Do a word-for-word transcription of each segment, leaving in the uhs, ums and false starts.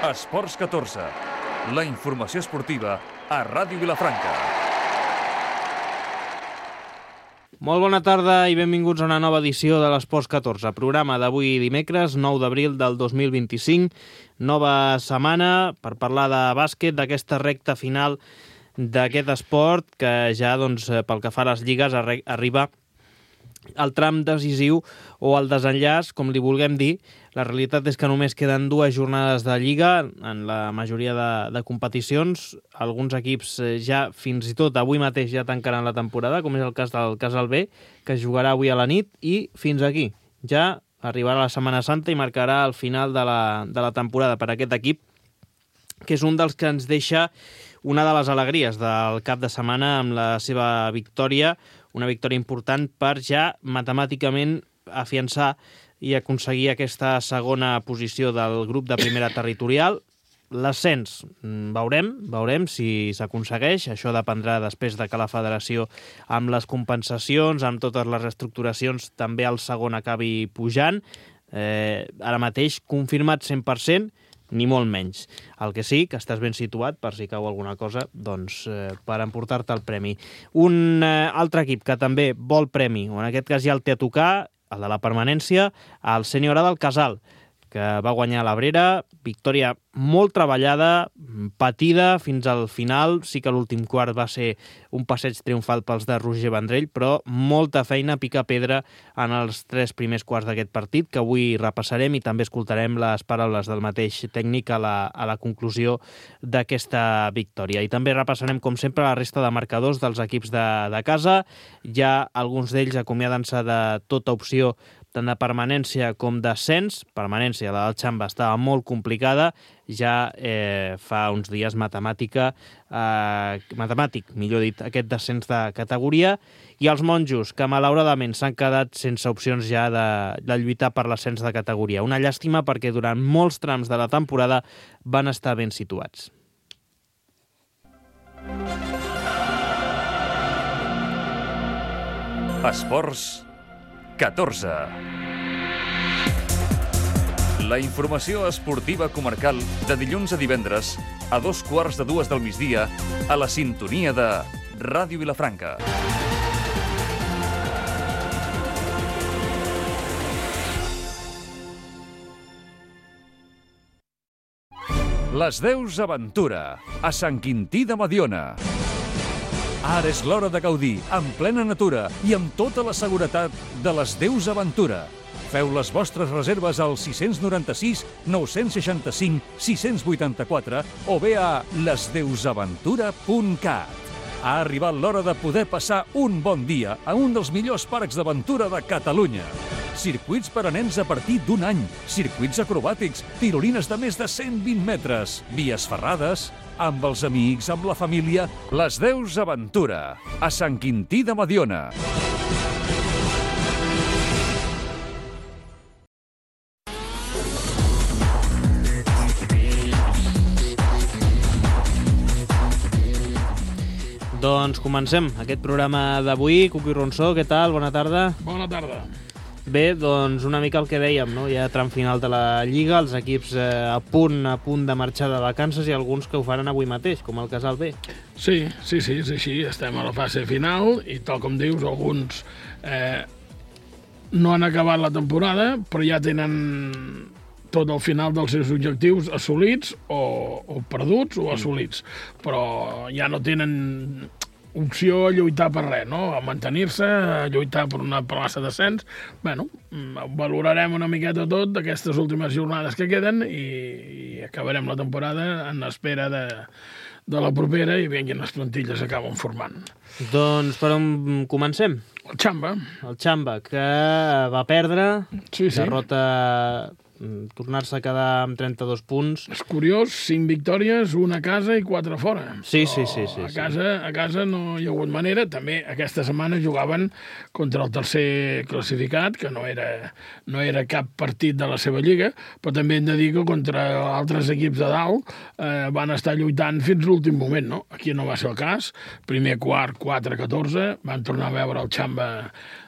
Esports catorze, la informació esportiva a Ràdio Vilafranca. Molt bona tarda i benvinguts a una nova edició de l'Esports catorze, programa d'avui dimecres, nou d'abril del dos mil vint-i-cinc, nova setmana per parlar de bàsquet, d'aquesta recta final d'aquest esport que ja, doncs, pel que fa a les lligues, arriba al tram decisiu o al desenllaç, com li vulguem dir. La realitat és que només queden dues jornades de Lliga en la majoria de, de competicions. Alguns equips ja, fins i tot avui mateix, ja tancaran la temporada, com és el cas del Casal B, que es jugarà avui a la nit, i fins aquí. Ja arribarà la Setmana Santa i marcarà el final de la, de la temporada per aquest equip, que és un dels que ens deixa una de les alegries del cap de setmana amb la seva victòria, una victòria important per ja matemàticament afiançar i aconseguir aquesta segona posició del grup de primera territorial. L'ascens, veurem, veurem si s'aconsegueix. Això dependrà després de que la federació, amb les compensacions, amb totes les reestructuracions, també el segon acabi pujant. Eh, ara mateix, confirmat cent per cent, ni molt menys. El que sí, que estàs ben situat, per si cau alguna cosa, doncs eh, per emportar-te el premi. Un eh, altre equip que també vol premi, o en aquest cas ja el té a tocar, el de la permanència, el Sènior A del Casal, que va guanyar l'Abrera, victòria molt treballada, patida fins al final. Sí que l'últim quart va ser un passeig triomfal pels de Roger Vendrell, però molta feina, pica pedra en els tres primers quarts d'aquest partit, que avui repassarem i també escoltarem les paraules del mateix tècnic a la, a la conclusió d'aquesta victòria. I també repassarem, com sempre, la resta de marcadors dels equips de, de casa. Ja alguns d'ells acomiadant-se de tota opció tant de permanència com d'ascens. Permanència, la del Xamba, estava molt complicada. Ja eh, fa uns dies matemàtica, eh, matemàtic, millor dit, aquest descens de categoria. I els monjos, que malauradament s'han quedat sense opcions ja de, de lluitar per l'ascens de categoria. Una llàstima perquè durant molts trams de la temporada van estar ben situats. Esports catorze. La informació esportiva comarcal de dilluns a divendres a dos quarts de dues del migdia a la sintonia de Ràdio Vilafranca. Les Deus Aventura, a Sant Quintí de Mediona. Ara és l'hora de gaudir, en plena natura i amb tota la seguretat de les Deus Aventura. Feu les vostres reserves al sis nou sis, nou seixanta cinc, sis vuitanta quatre o bé a les deus aventura punt cat. Ha arribat l'hora de poder passar un bon dia a un dels millors parcs d'aventura de Catalunya. Circuits per a nens a partir d'un any, circuits acrobàtics, tirolines de més de cent vint metres, vies ferrades, amb els amics, amb la família. Les Deus Aventura, a Sant Quintí de Mediona. Doncs comencem aquest programa d'avui. Cuqui Ronsó, què tal? Bona tarda. Bona tarda. Bé, doncs una mica el que dèiem, no? Ja tram final de la Lliga, els equips eh, a punt a punt de marxar de vacances i alguns que ho faran avui mateix, com el Casal B. Sí, sí, sí, és així. Estem a la fase final i, tal com dius, alguns eh, no han acabat la temporada, però ja tenen tot el final dels seus objectius assolits o, o perduts o assolits, però ja no tenen opció a lluitar per res, no? A mantenir-se, a lluitar per una plaça d'ascens. Bueno, valorarem una miqueta tot d'aquestes últimes jornades que queden i, i acabarem la temporada en espera de, de la propera i veiem quines plantilles acaben formant. Doncs per on comencem? El Xamba. El Xamba, que va perdre, sí, sí. derrota tornar-se a quedar amb trenta-dos punts. És curiós, cinc victòries, una a casa i quatre fora. Sí, sí, sí, sí. A casa, a casa no hi ha hagut manera. També aquesta setmana jugaven contra el tercer classificat, que no era, no era cap partit de la seva lliga, però també hem de dir que contra altres equips de dalt eh, van estar lluitant fins l'últim moment, no? Aquí no va ser el cas. Primer quart, quatre a catorze, van tornar a veure el Xamba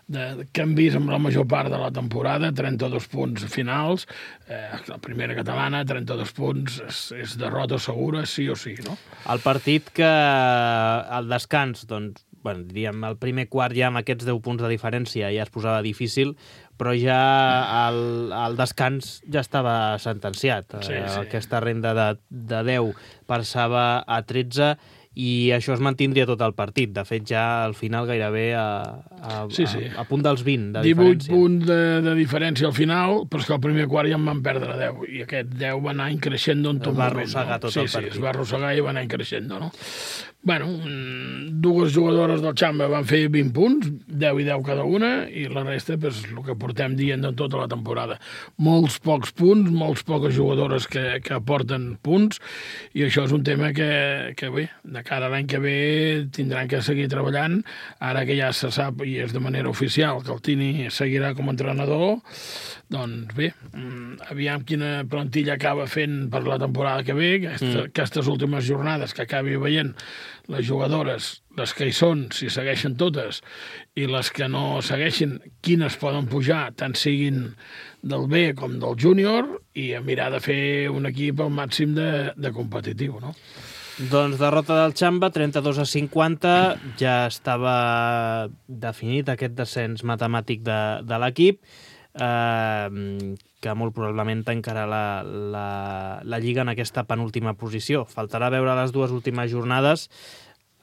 de, que hem vist amb la major part de la temporada, trenta-dos punts finals, eh, la primera catalana, trenta-dos punts, és, és derrota segura, sí o sí, no? El partit que al descans, doncs, bueno, diríem, el primer quart ja amb aquests deu punts de diferència ja es posava difícil, però ja al, al descans ja estava sentenciat. Sí, sí. Aquesta renda de, de deu passava a tretze i això es mantindria tot el partit. De fet, ja al final gairebé a, a, sí, sí. a, a punt dels vint de divuit diferència. punts de, de diferència al final, però és que al primer quart ja en van perdre deu, i aquest deu va anar increixent en tot es va moment. arrossegar No? tot sí, el sí, partit. es va arrossegar i va anar increixent, no? Bueno, dues jugadores del Xamba van fer vint punts, deu i deu cada una, i la resta, pues, el que portem dient en tota la temporada. Molts pocs punts, molts poques jugadores que, que aporten punts, i això és un tema que, que bé, de cara a l'any que ve tindran que seguir treballant, ara que ja se sap, i és de manera oficial, que el Tini seguirà com a entrenador, doncs bé, aviam quina plantilla acaba fent per la temporada que ve, aquestes, mm. aquestes últimes jornades que acabi veient les jugadores, les que hi són, si segueixen totes, i les que no segueixin, quines poden pujar, tant siguin del B com del júnior, i a mirar de fer un equip al màxim de, de competitiu, no? Doncs derrota del Xamba, trenta-dos a cinquanta, ja estava definit aquest descens matemàtic de, de l'equip, eh, que molt probablement tancarà la, la, la Lliga en aquesta penúltima posició. Faltarà veure les dues últimes jornades,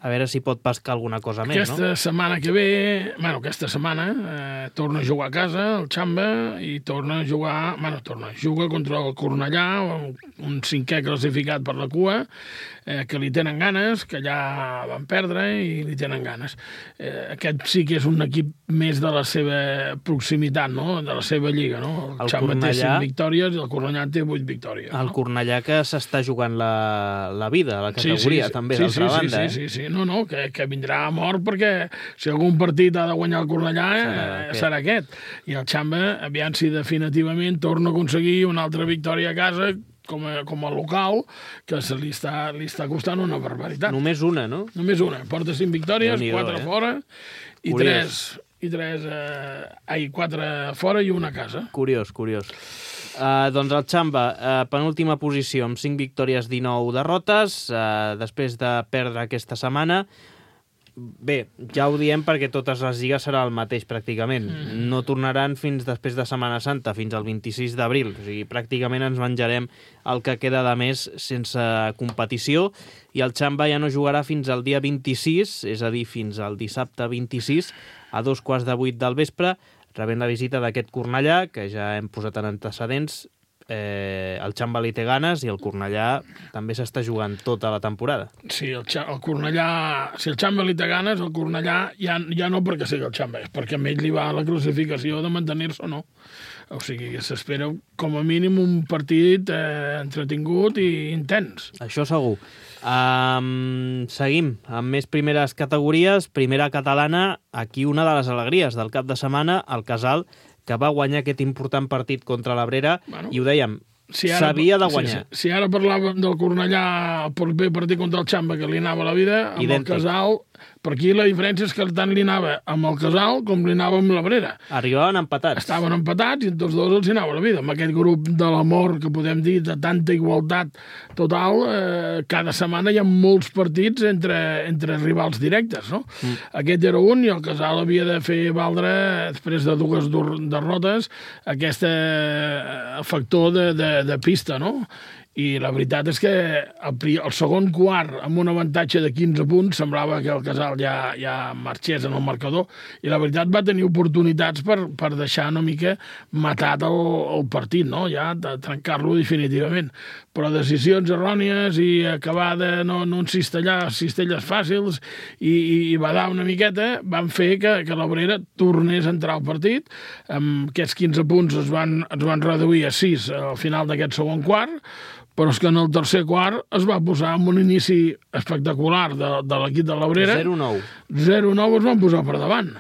a veure si pot pescar alguna cosa més, aquesta no? Aquesta setmana que ve, bueno, aquesta setmana, eh, torna a jugar a casa, el Xamba, i torna a jugar, bueno, torna, juga contra el Cornellà, un, un cinquè classificat per la cua, eh, que li tenen ganes, que ja van perdre i li tenen ganes. Eh, aquest sí que és un equip més de la seva proximitat, no?, de la seva lliga, no? El, el Xamba Cornellà té cinc victòries i el Cornellà té vuit victòries. El no? Cornellà que s'està jugant la, la vida, la categoria, sí, sí, sí. també, sí, d'altra sí, banda, sí, eh? Sí, sí, no, no, que, que vindrà a mort perquè si algun partit ha de guanyar el Cornellà serà, eh, serà aquest. I el Xamba, aviam si definitivament torna a aconseguir una altra victòria a casa com a, com a local, que se li està, li està costant una barbaritat. Només una, no? Només una. Porta cinc victòries, quatre eh? fora, i curiós. tres, i tres eh, ai, quatre fora i una a casa. Curiós, curiós. Uh, doncs el Xamba, uh, penúltima posició, amb cinc victòries, dinou derrotes, uh, després de perdre aquesta setmana. Bé, ja ho diem perquè totes les lligues serà el mateix pràcticament. Mm. No tornaran fins després de Setmana Santa, fins al vint-i-sis d'abril. O sigui, pràcticament ens menjarem el que queda de mes sense competició, i el Xamba ja no jugarà fins al dia vint-i-sis, és a dir, fins al dissabte vint-i-sis, a dos quarts de vuit del vespre, rebent la visita d'aquest Cornellà, que ja hem posat en antecedents. Eh, el Xamba li té ganes i el Cornellà també s'està jugant tota la temporada. Sí, el, el Cornellà, si el Xamba li té ganes, el Cornellà ja, ja no perquè sigui el Xamba, és perquè a ell li va la classificació de mantenir-se o no. O sigui que s'espera com a mínim un partit eh, entretingut i intens. Això segur. Um, seguim amb més primeres categories. Primera catalana, aquí una de les alegries del cap de setmana, el Casal, que va guanyar aquest important partit contra l'Abrera, bueno, i ho dèiem, si s'havia de guanyar. Si, si, si ara parlàvem del Cornellà, el proper partit contra el Xamba, que li anava a la vida, amb idèntic. El Casal, per aquí la diferència és que tant li anava amb el Casal com li anava amb l'Abrera. Arribaven empatats. Estaven empatats i tots dos els anava a la vida. Amb aquest grup de l'amor, que podem dir, de tanta igualtat total, eh, cada setmana hi ha molts partits entre, entre rivals directes, no? Mm. Aquest era un, i el Casal havia de fer valdre, després de dues derrotes, aquest eh, factor de, de, de pista, no? I la veritat és que el, el segon quart, amb un avantatge de quinze punts, semblava que el Casal ja, ja marxés en el marcador, i la veritat va tenir oportunitats per, per deixar una mica matat el, el partit, no? Ja de trencar-lo definitivament. Però decisions errònies i acabar de no, no encistellar cistelles fàcils i, i, i badar una miqueta van fer que, que l'Abrera tornés a entrar al partit. Amb aquests quinze punts es van, es van reduir a sis al final d'aquest segon quart, però és que en el tercer quart es va posar amb un inici espectacular de, de l'equip de l'Abrera. zero nou. zero nou es van posar per davant.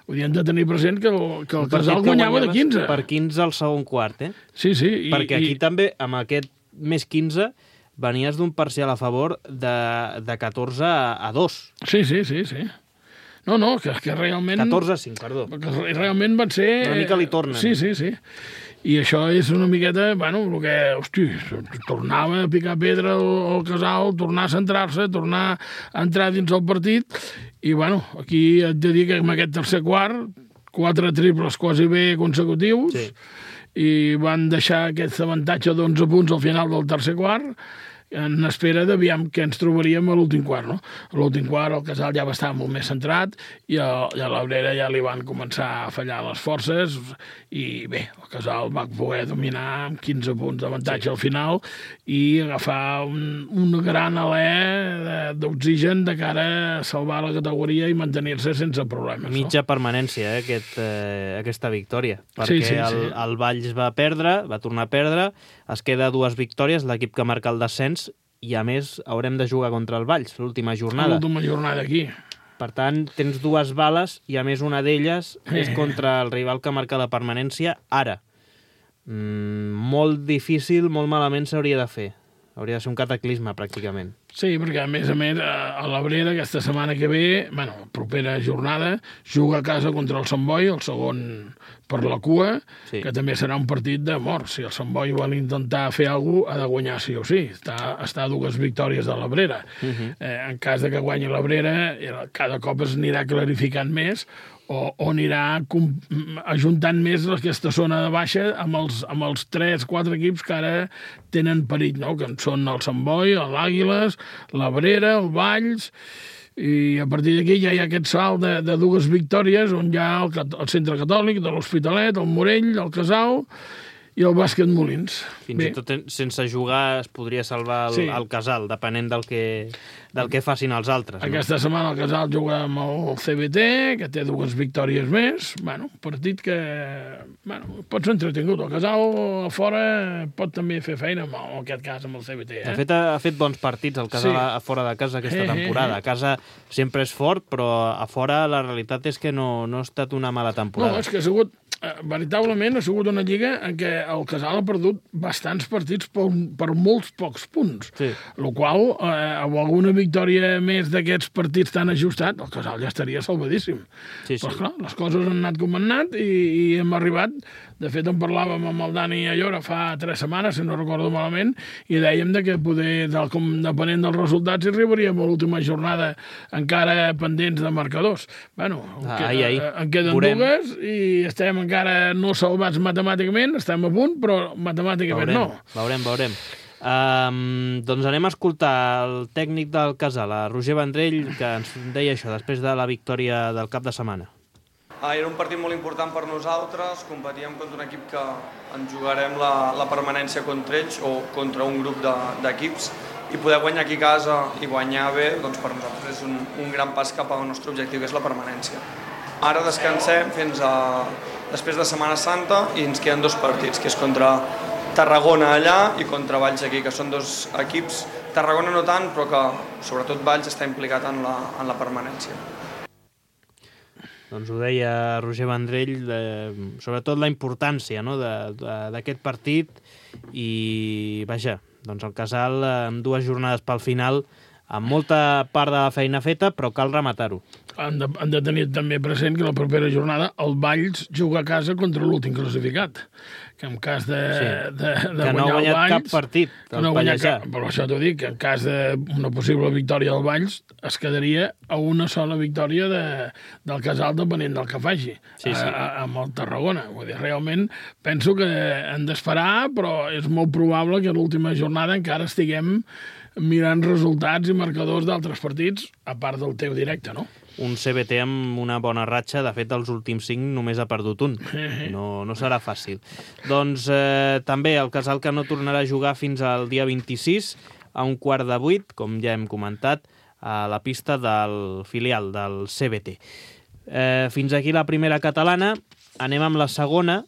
Ho hem de tenir present que el, que el Casal guanyava de quinze. Per quinze al segon quart, eh? Sí, sí. I, Perquè aquí i... també, amb aquest més quinze, venies d'un parcial a favor de, de catorze a dos. Sí, sí, sí, sí. No, no, que, que realment... catorze a cinc, perdó. Que realment van ser... Una mica li tornen. Sí, sí, sí. I això és una miqueta, bueno, el que, hosti, tornava a picar pedra al, al Casal, tornar a centrar-se, tornar a entrar dins el partit, i, bueno, aquí haig de dir que en aquest tercer quart, quatre triples quasi bé consecutius, sí. I van deixar aquest avantatge d'onze punts al final del tercer quart, en espera d'aviam què ens trobaríem a l'últim quart, no? A l'últim quart el Casal ja va estar molt més centrat i a, i a l'Abrera ja li van començar a fallar les forces i bé, el Casal va poder dominar amb quinze punts d'avantatge sí. Al final i agafar un, un gran alè d'oxigen de cara a salvar la categoria i mantenir-se sense problemes. Mitja no? permanència, eh, aquest, eh, aquesta victòria, perquè sí, sí, el, sí. el Valls va perdre, va tornar a perdre, es queda dues victòries, l'equip que marca el descens, i a més haurem de jugar contra el Valls l'última jornada. L'última jornada aquí. Per tant, tens dues bales i a més una d'elles eh. és contra el rival que marca la permanència ara. Mm, molt difícil, molt malament s'hauria de fer. Hauria de ser un cataclisme, pràcticament. Sí, perquè a més a més a l'Abrera aquesta setmana que ve, bueno, propera jornada, juga a casa contra el Sant Boi, el segon per la cua, sí. Que també serà un partit de mort. Si el Sant Boi vol intentar fer alguna cosa, ha de guanyar sí o sí. Està, està a dues victòries de l'Abrera. Uh -huh. eh, en cas de que guanyi l'Abrera, cada cop es anirà clarificant més o, o anirà ajuntant més aquesta zona de baixa amb els, amb els tres, quatre equips que ara tenen perill, no? Que són el Sant Boi, l'Àguiles, l'Abrera, el Valls, i a partir d'aquí ja hi ha aquest salt de, de dues victòries on hi ha el, el Centre Catòlic, de l'Hospitalet, el Morell, el Casal i el Bàsquet Molins. Fins Bé. i tot sense jugar es podria salvar el, sí. el Casal, depenent del que, del que facin els altres. Aquesta no? setmana el Casal juga amb el C B T, que té dues victòries més. Bueno, un partit que bueno, pot ser entretingut. El Casal a fora pot també fer feina, en aquest cas amb el C B T. Eh? De fet, ha fet bons partits el Casal sí. a fora de casa aquesta temporada. A casa sempre és fort, però a fora la realitat és que no, no ha estat una mala temporada. No, és que ha sigut... veritablement ha sigut una lliga en què el Casal ha perdut bastants partits per, per molts pocs punts. Sí. El qual, eh, amb alguna victòria més d'aquests partits tan ajustats, el Casal ja estaria salvadíssim. Sí, sí. Però, clar, les coses han anat com han anat i, i hem arribat... De fet, en parlàvem amb el Dani Allora fa tres setmanes, si no recordo malament, i dèiem de que poder, del, com, depenent dels resultats, hi arribaríem a l'última jornada encara pendents de marcadors. Bueno, ah, ai, ai. en queden Veurem. dues i estem encara no salvats matemàticament, estem a punt, però matemàticament veurem, no. Veurem, veurem. Um, doncs anem a escoltar el tècnic del Casal, a Roger Vendrell, que ens deia això després de la victòria del cap de setmana. Ah, era un partit molt important per nosaltres, competíem contra un equip que ens jugarem la, la permanència contra ells o contra un grup d'equips de, i poder guanyar aquí a casa i guanyar bé, doncs per nosaltres és un, un gran pas cap al nostre objectiu, que és la permanència. Ara descansem fins a després de Setmana Santa i ens queden dos partits, que és contra Tarragona allà i contra Valls aquí, que són dos equips, Tarragona no tant, però que sobretot Valls està implicat en la, en la permanència. Doncs ho deia Roger Vendrell, de, sobretot la importància no, d'aquest partit i, vaja, doncs el Casal amb dues jornades pel final, amb molta part de la feina feta, però cal rematar-ho. Han de, han de tenir també present que la propera jornada el Valls juga a casa contra l'últim classificat, que en cas de, sí. de, de que guanyar no ha guanyat el Valls... cap partit, el no Pallejà. Cap, però això t'ho dic, que en cas d'una possible victòria del Valls es quedaria a una sola victòria de, del Casal depenent del que faci, sí, sí. A, a, amb el Tarragona. Vull dir, realment penso que hem d'esperar, però és molt probable que a l'última jornada encara estiguem mirant resultats i marcadors d'altres partits, a part del teu directe, no? Un C B T amb una bona ratxa, de fet, dels últims cinc només ha perdut un. No, no serà fàcil. Doncs eh, també el Casal que no tornarà a jugar fins al dia vint-i-sis, a un quart de vuit, com ja hem comentat, a la pista del filial del C B T. Eh, fins aquí la primera catalana. Anem amb la segona,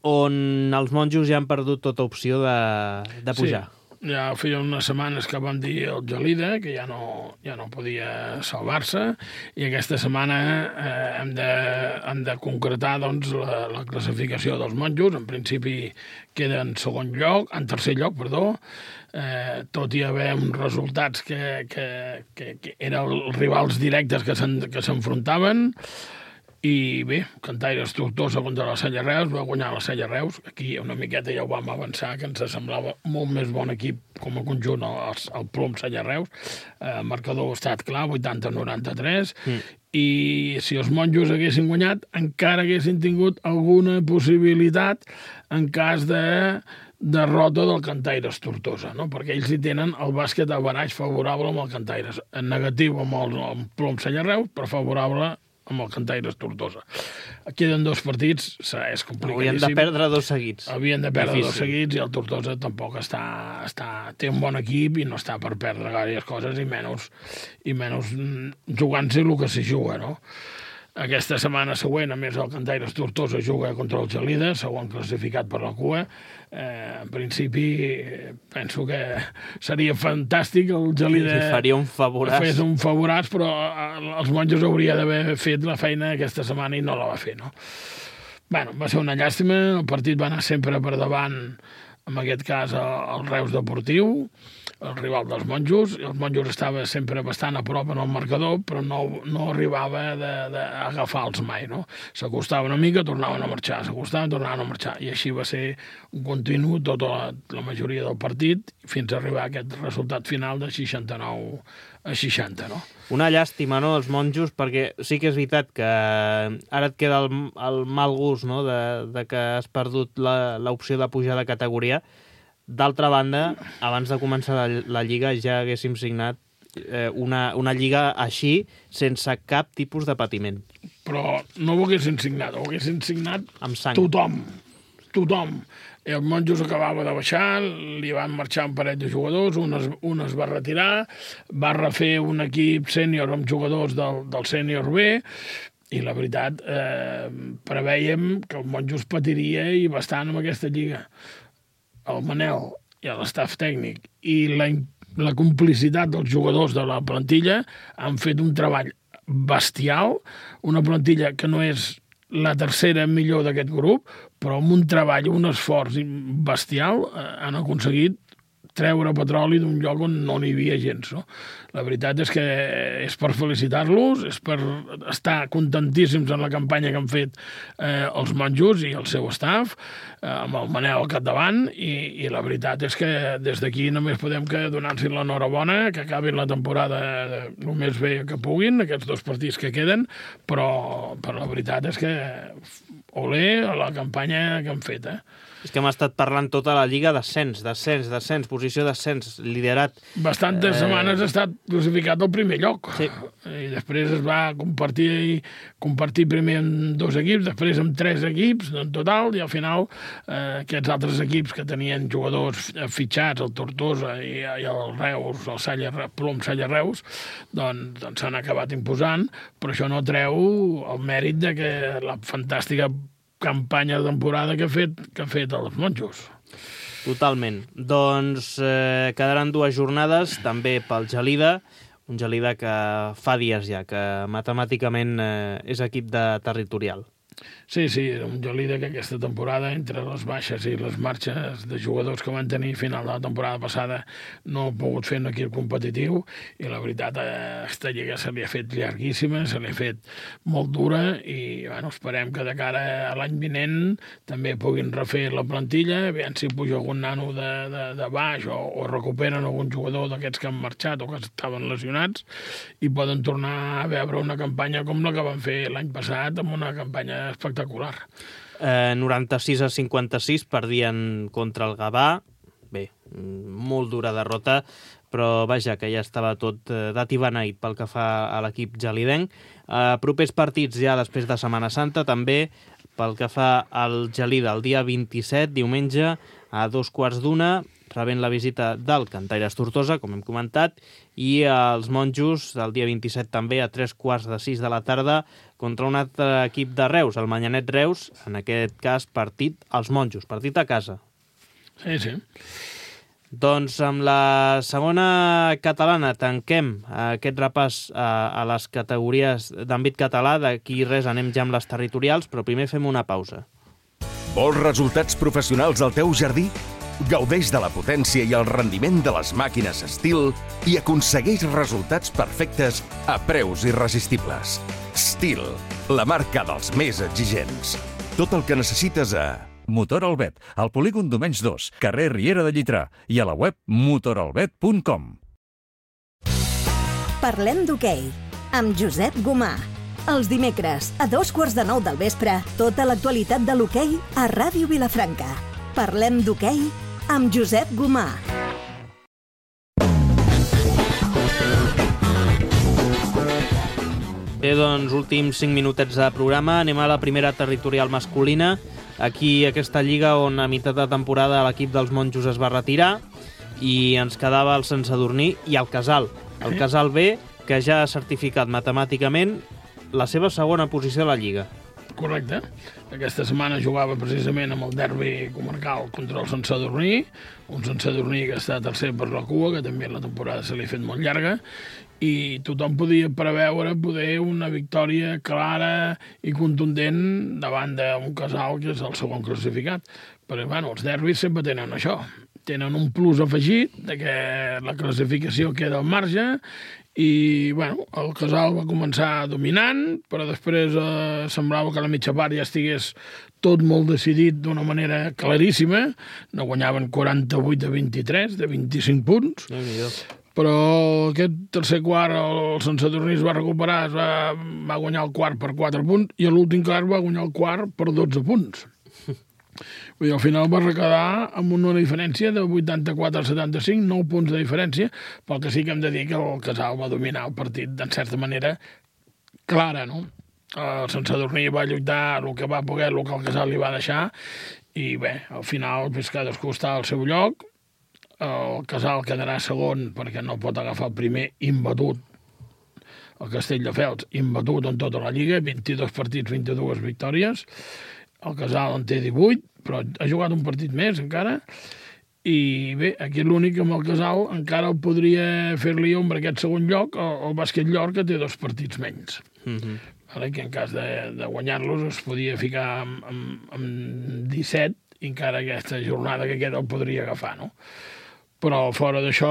on els monjos ja han perdut tota opció de, de pujar. Sí. ja feia unes setmanes que vam dir el Gelida, que ja no, ja no podia salvar-se, i aquesta setmana eh, hem, de, hem de concretar doncs, la, la classificació dels monjos. En principi queda en segon lloc, en tercer lloc, perdó, eh, tot i haver uns resultats que, que, que, que eren els rivals directes que s'enfrontaven. I bé, Cantaires Tortosa contra la Sella Reus, va guanyar la Sella Reus. Aquí una miqueta ja ho vam avançar, que ens semblava molt més bon equip com a conjunt el, el Plom Sella Reus. El eh, marcador ha estat clar, vuitanta a noranta-tres, mm. i si els monjos haguessin guanyat, encara haguessin tingut alguna possibilitat en cas de derrota del Cantaires Tortosa, no? Perquè ells hi tenen el bàsquet a baraix favorable amb el Cantaires, en negatiu amb el, el Plom Sella Reus, però favorable amb el Cantaires Tortosa. Queden dos partits, és complicadíssim. Havien de perdre dos seguits. Havien de perdre Difícil. dos seguits i el Tortosa tampoc està, està... té un bon equip i no està per perdre gaires coses i menys, i menys jugant-se el que s'hi juga, no? Aquesta setmana següent, a més, el Cantaires Tortosa juga contra el Gelida, segon classificat per la cua. Eh, en principi, penso que seria fantàstic el Gelida... Sí, faria un favoràs. Fes un favoràs, però els monjos hauria d'haver fet la feina aquesta setmana i no la va fer, no? Bueno, va ser una llàstima, el partit va anar sempre per davant, en aquest cas, el Reus Deportiu, el rival dels monjos. Els monjos estava sempre bastant a prop en el marcador, però no, no arribava d'agafar-los mai, no? S'acostava una mica, tornaven a marxar, s'acostaven, tornaven a marxar, i així va ser un continu tota la, la majoria del partit, fins a arribar a aquest resultat final de seixanta-nou a seixanta, no? Una llàstima, no?, els monjos, perquè sí que és veritat que ara et queda el, el mal gust, no?, de, de que has perdut l'opció de pujar de categoria. D'altra banda, abans de començar la, la Lliga ja haguéssim signat eh, una, una Lliga així, sense cap tipus de patiment. Però no ho haguessin signat, ho haguessin signat amb sang. Tothom, tothom. El Monjos acabava de baixar, li van marxar un parell de jugadors, un es, un es va retirar, va refer un equip sènior amb jugadors del, del sènior B, i la veritat, eh, preveiem que el Monjos patiria i bastant amb aquesta lliga. El Manel i l'estaf tècnic i la, la complicitat dels jugadors de la plantilla han fet un treball bestial, una plantilla que no és la tercera millor d'aquest grup, però amb un treball, un esforç bestial, eh, han aconseguit treure petroli d'un lloc on no n'hi havia gens, no? La veritat és que és per felicitar-los, és per estar contentíssims en la campanya que han fet eh, els monjos i el seu staff, eh, amb el Manel al capdavant, i, i la veritat és que des d'aquí només podem que donar-los l'enhorabona, que acabin la temporada el més bé que puguin, aquests dos partits que queden, però, però la veritat és que olé a la campanya que han fet, eh? És que hem estat parlant tota la Lliga d'ascens, d'ascens, d'ascens, posició d'ascens, liderat. Bastantes eh... setmanes ha estat classificat al primer lloc. Sí. I després es va compartir, compartir primer amb dos equips, després amb tres equips en total, i al final eh, aquests altres equips que tenien jugadors fitxats, el Tortosa i, i el Reus, el Salla, Plom Salla Reus, doncs, doncs s'han acabat imposant, però això no treu el mèrit de que la fantàstica campanya de temporada que ha fet, que ha fet els monjos. Totalment. Doncs eh, quedaran dues jornades, també pel Gelida, un Gelida que fa dies ja, que matemàticament eh, és equip de territorial. Sí, sí, un Gelida que aquesta temporada, entre les baixes i les marxes de jugadors que van tenir a final de la temporada passada, no ha pogut fer un equip competitiu, i la veritat, aquesta lliga se li ha fet llarguíssima, se li ha fet molt dura, i bueno, esperem que de cara a l'any vinent també puguin refer la plantilla, aviam si puja algun nano de, de, de baix, o, o recuperen algun jugador d'aquests que han marxat o que estaven lesionats, i poden tornar a veure una campanya com la que van fer l'any passat, amb una campanya espectacular. Eh, noranta-sis a cinquanta-sis perdien contra el Gavà. Bé, molt dura derrota, però vaja, que ja estava tot eh, dat i beneït pel que fa a l'equip gelidenc. Eh, propers partits ja després de Setmana Santa, també pel que fa al Gelida, el dia vint-i-set, diumenge, a dos quarts d'una, rebent la visita del Cantaires Tortosa, com hem comentat, i els monjos el dia vint-i-set també a tres quarts de sis de la tarda contra un altre equip de Reus, el Manyanet Reus, en aquest cas partit als monjos, partit a casa. Sí, sí. Doncs amb la segona catalana tanquem aquest repàs a, a les categories d'àmbit català. D'aquí res, anem ja amb les territorials, però primer fem una pausa. Vols resultats professionals al teu jardí? Gaudeix de la potència i el rendiment de les màquines Stihl i aconsegueix resultats perfectes a preus irresistibles. Stihl, la marca dels més exigents. Tot el que necessites a... Motor Albet, al polígon Domenys dos, carrer Riera de Llitrà, i a la web motor albet punt com. Parlem d'hoquei, amb Josep Gomà. Els dimecres, a dos quarts de nou del vespre, tota l'actualitat de l'hoquei a Ràdio Vilafranca. Parlem d'hoquei amb Josep Gomà. Bé, doncs, últims cinc minutets de programa. Anem a la primera territorial masculina. Aquí, aquesta lliga on a meitat de temporada l'equip dels monjos es va retirar i ens quedava el Sant Sadurní i el Casal. El Casal B, que ja ha certificat matemàticament la seva segona posició a la lliga. Correcte. Aquesta setmana jugava precisament amb el derbi comarcal contra el Sant Sadurní, un Sant Sadurní que està tercer per la cua, que també la temporada se li ha fet molt llarga, i tothom podia preveure poder una victòria clara i contundent davant d'un Casal que és el segon classificat. Però, bueno, els derbis sempre tenen això. Tenen un plus afegit de que la classificació queda al marge i, bueno, el Casal va començar dominant, però després eh, semblava que a la mitja part ja estigués tot molt decidit d'una manera claríssima. No guanyaven quaranta-vuit a vint-i-tres, de vint-i-cinc punts. Déu-n'hi-do. Però aquest tercer quart el Sant Sadurní es va recuperar, es va, va guanyar el quart per quatre punts i l'últim quart va guanyar el quart per dotze punts. Vull dir, al final va quedar amb una diferència de vuitanta-quatre a setanta-cinc, nou punts de diferència, però que sí que hem de dir que el Casal va dominar el partit d'en certa manera clara, no? El Sant Sadurní va lluitar el que va poder, el que el Casal li va deixar, i bé, al final pues, cadascú està al seu lloc. El Casal quedarà segon perquè no pot agafar el primer imbatut, el Castelldefels, imbatut en tota la lliga, vint-i-dos partits, vint-i-dues victòries. El Casal en té divuit, però ha jugat un partit més encara. I bé, aquí l'únic amb el Casal encara el podria fer-li ombra aquest segon lloc, el, el Bàsquet Llor, que té dos partits menys. Mm-hmm. Vale, que en cas de, de guanyar-los es podia ficar amb, amb, amb disset, i encara aquesta jornada que queda el podria agafar, no? Però fora d'això,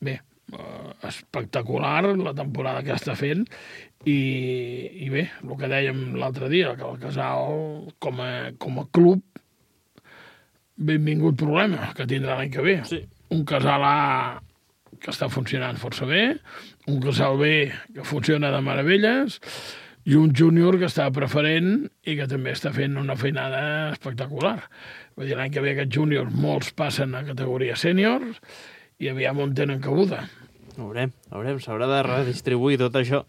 bé, espectacular la temporada que està fent i, i bé, el que dèiem l'altre dia, que el Casal com a, com a club, benvingut problema que tindrà l'any que ve. Sí. Un Casal A que està funcionant força bé, un Casal B que funciona de meravelles i un júnior que està preferent i que també està fent una feinada espectacular. Vull dir, l'any que ve aquests júniors molts passen a categoria sèniors i aviam on tenen cabuda. Veurem, veurem, s'haurà de redistribuir tot això.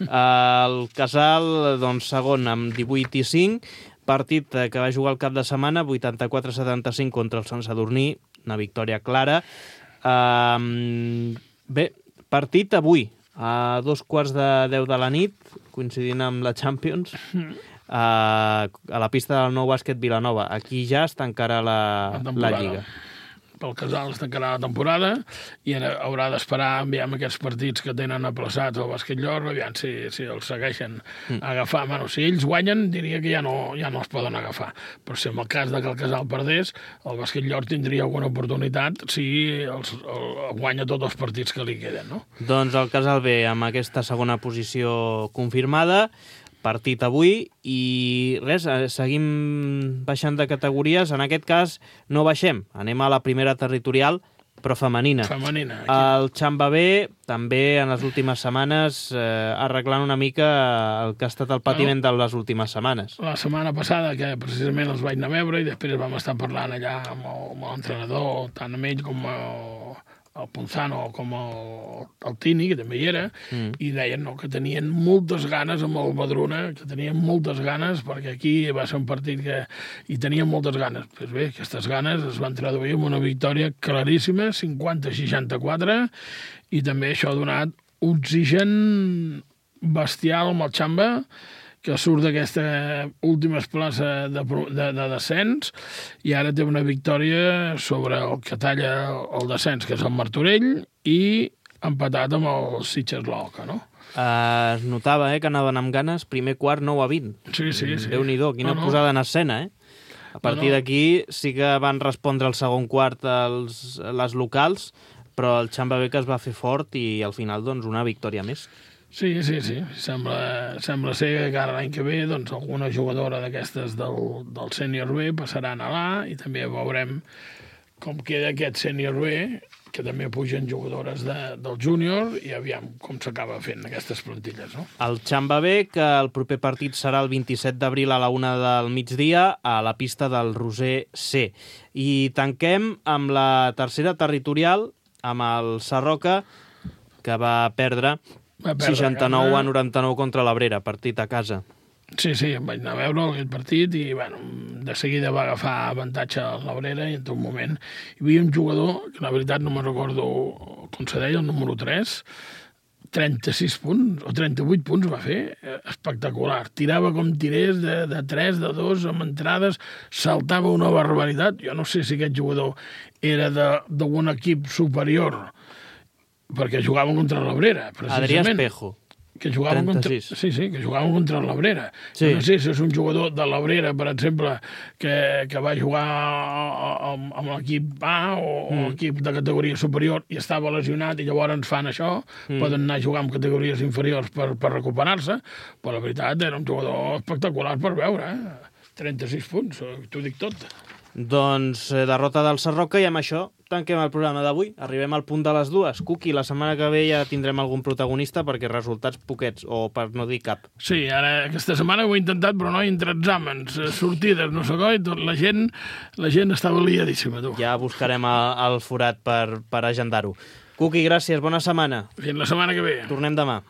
El Casal, doncs, segon amb divuit i cinc, partit que va jugar el cap de setmana, vuitanta-quatre a setanta-cinc contra el Sant Sadurní, una victòria clara. Um, bé, partit avui, a dos quarts de deu de la nit, coincidint amb la Champions, a, a la pista del Nou Bàsquet Vilanova. Aquí ja es tancarà la, la, la Lliga. Pel Casal es tancarà la temporada i haurà d'esperar enviar aquests partits que tenen aplaçats al Bàsquet Llor, aviam si, si els segueixen mm. agafar. Bueno, si ells guanyen, diria que ja no, ja no els poden agafar. Però si en el cas de que el Casal perdés, el Bàsquet Llor tindria alguna oportunitat si els, el, guanya tots els partits que li queden, no? Doncs el Casal B, amb aquesta segona posició confirmada, partit avui, i res, seguim baixant de categories. En aquest cas no baixem, anem a la primera territorial, però femenina. Femenina. Aquí. El Xamba B també en les últimes setmanes eh, arreglant una mica el que ha estat el patiment de les últimes setmanes. La setmana passada, que precisament els vaig anar a veure i després vam estar parlant allà amb l'entrenador, tant amb ell com el, el Ponzano com el, el Tini, que també hi era, mm. i deien no, que tenien moltes ganes amb el Badruna, que tenien moltes ganes, perquè aquí va ser un partit que hi tenien moltes ganes. Pues bé, aquestes ganes es van traduir en una victòria claríssima, cinquanta a seixanta-quatre, i també això ha donat oxigen bestial amb el Xamba, que surt d'aquesta última plaça de, de, de descens i ara té una victòria sobre el que talla el descens, que és el Martorell, i empatat amb el Sitges Lorca, no? Uh, es notava eh, que anaven amb ganes, primer quart nou a vint. Sí, sí, sí. Déu-n'hi-do, quina no, no. posada en escena, eh? A partir no, no. d'aquí sí que van respondre el segon quart els, les locals, però el Xamba-Bec es va fer fort i al final doncs, una victòria més. Sí, sí, sí. Sembla, sembla ser que ara l'any que ve doncs, alguna jugadora d'aquestes del, del sènior B passaran a l'A i també veurem com queda aquest sènior B, que també pugen jugadores de, del júnior i aviam com s'acaba fent aquestes plantilles, no? El Xamba-Bec, el proper partit serà el vint-i-set d'abril a la una del migdia a la pista del Roser C. I tanquem amb la tercera territorial, amb el Sarroca, que va perdre seixanta-nou a noranta-nou contra l'Abrera, partit a casa. Sí, sí, em vaig anar a veure aquest partit i bueno, de seguida va agafar avantatge a l'Abrera i en tot moment hi havia un jugador, que la veritat no me'n recordo com se deia, el número tres, trenta-sis punts o trenta-vuit punts va fer, espectacular. Tirava com tirés de, de tres, de dos, amb entrades, saltava una barbaritat. Jo no sé si aquest jugador era d'un equip superior, perquè jugaven contra l'Abrera, precisament. Adrià Espejo. Que jugaven contra, sí, sí, que jugaven contra l'Abrera. Sí. No sé si és un jugador de l'Abrera, per exemple, que, que va jugar amb, amb l'equip A o, mm. o equip de categoria superior i estava lesionat i llavors fan això, mm. poden anar a jugar amb categories inferiors per, per recuperar-se, però la veritat era un jugador espectacular per veure, eh? trenta-sis punts, t'ho dic tot. Doncs eh, derrota del Sarroca i amb això tanquem el programa d'avui. Arribem al punt de les dues. Cuqui, la setmana que ve ja tindrem algun protagonista perquè resultats poquets, o per no dir cap. Sí, ara aquesta setmana ho he intentat, però no, entre exàmens, sortides, no sé coi, tot la gent, la gent estava liadíssima, tu. Ja buscarem el, el forat per, per agendar-ho. Cuqui, gràcies, bona setmana. Fins la setmana que ve. Tornem demà.